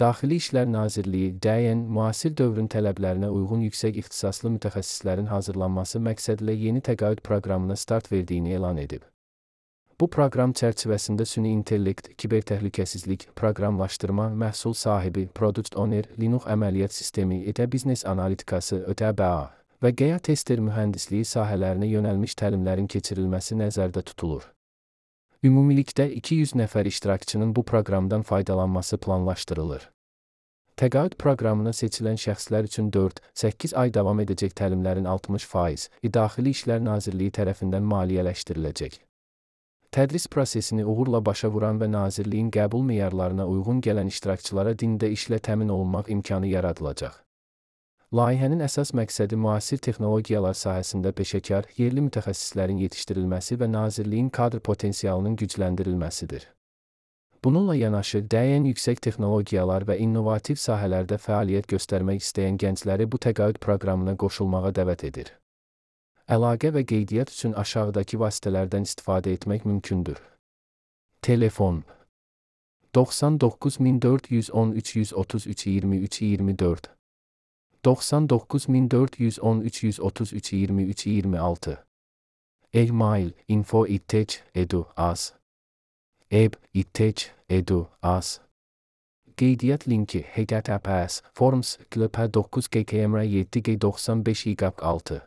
Daxili İşlər Nazirliyi DN müasir dövrün tələblərinə uyğun yüksək ixtisaslı mütəxəssislərin hazırlanması məqsədilə yeni təqaüd proqramına start verdiyini elan edib. Bu proqram çərçivəsində süni intellekt, kibertəhlükəsizlik, proqramlaşdırma, məhsul sahibi, product owner, Linux əməliyyat sistemi, biznes analitikası, ÖTBA və QEA tester mühəndisliyi sahələrinə yönəlmiş təlimlərin keçirilməsi nəzərdə tutulur. Ümumilikdə 200 nəfər iştirakçının bu proqramdan faydalanması planlaşdırılır. Təqaüd proqramına seçilən şəxslər üçün 4-8 ay davam edəcək təlimlərin 60% Daxili İşlər Nazirliyi tərəfindən maliyyələşdiriləcək. Tədris prosesini uğurla başa vuran və Nazirliyin qəbul meyarlarına uyğun gələn iştirakçılara dində işlə təmin olunmaq imkanı yaradılacaq. Layihənin əsas məqsədi müasir texnologiyalar sahəsində peşəkar, yerli mütəxəssislərin yetişdirilməsi və Nazirliyin kadr potensialının gücləndirilməsidir. Bununla yanaşı, DN yüksək texnologiyalar və innovativ sahələrdə fəaliyyət göstərmək istəyən gəncləri bu təqaüd proqramına qoşulmağa dəvət edir. Əlaqə və qeydiyyat üçün aşağıdakı vasitələrdən istifadə etmək mümkündür. Telefon 99 413 133 23 24 99 413 133 23 26 E-mail info@itech.edu.az eb.itech.edu.az Qeydiyyat linki https://forms/9ggmr7g95i6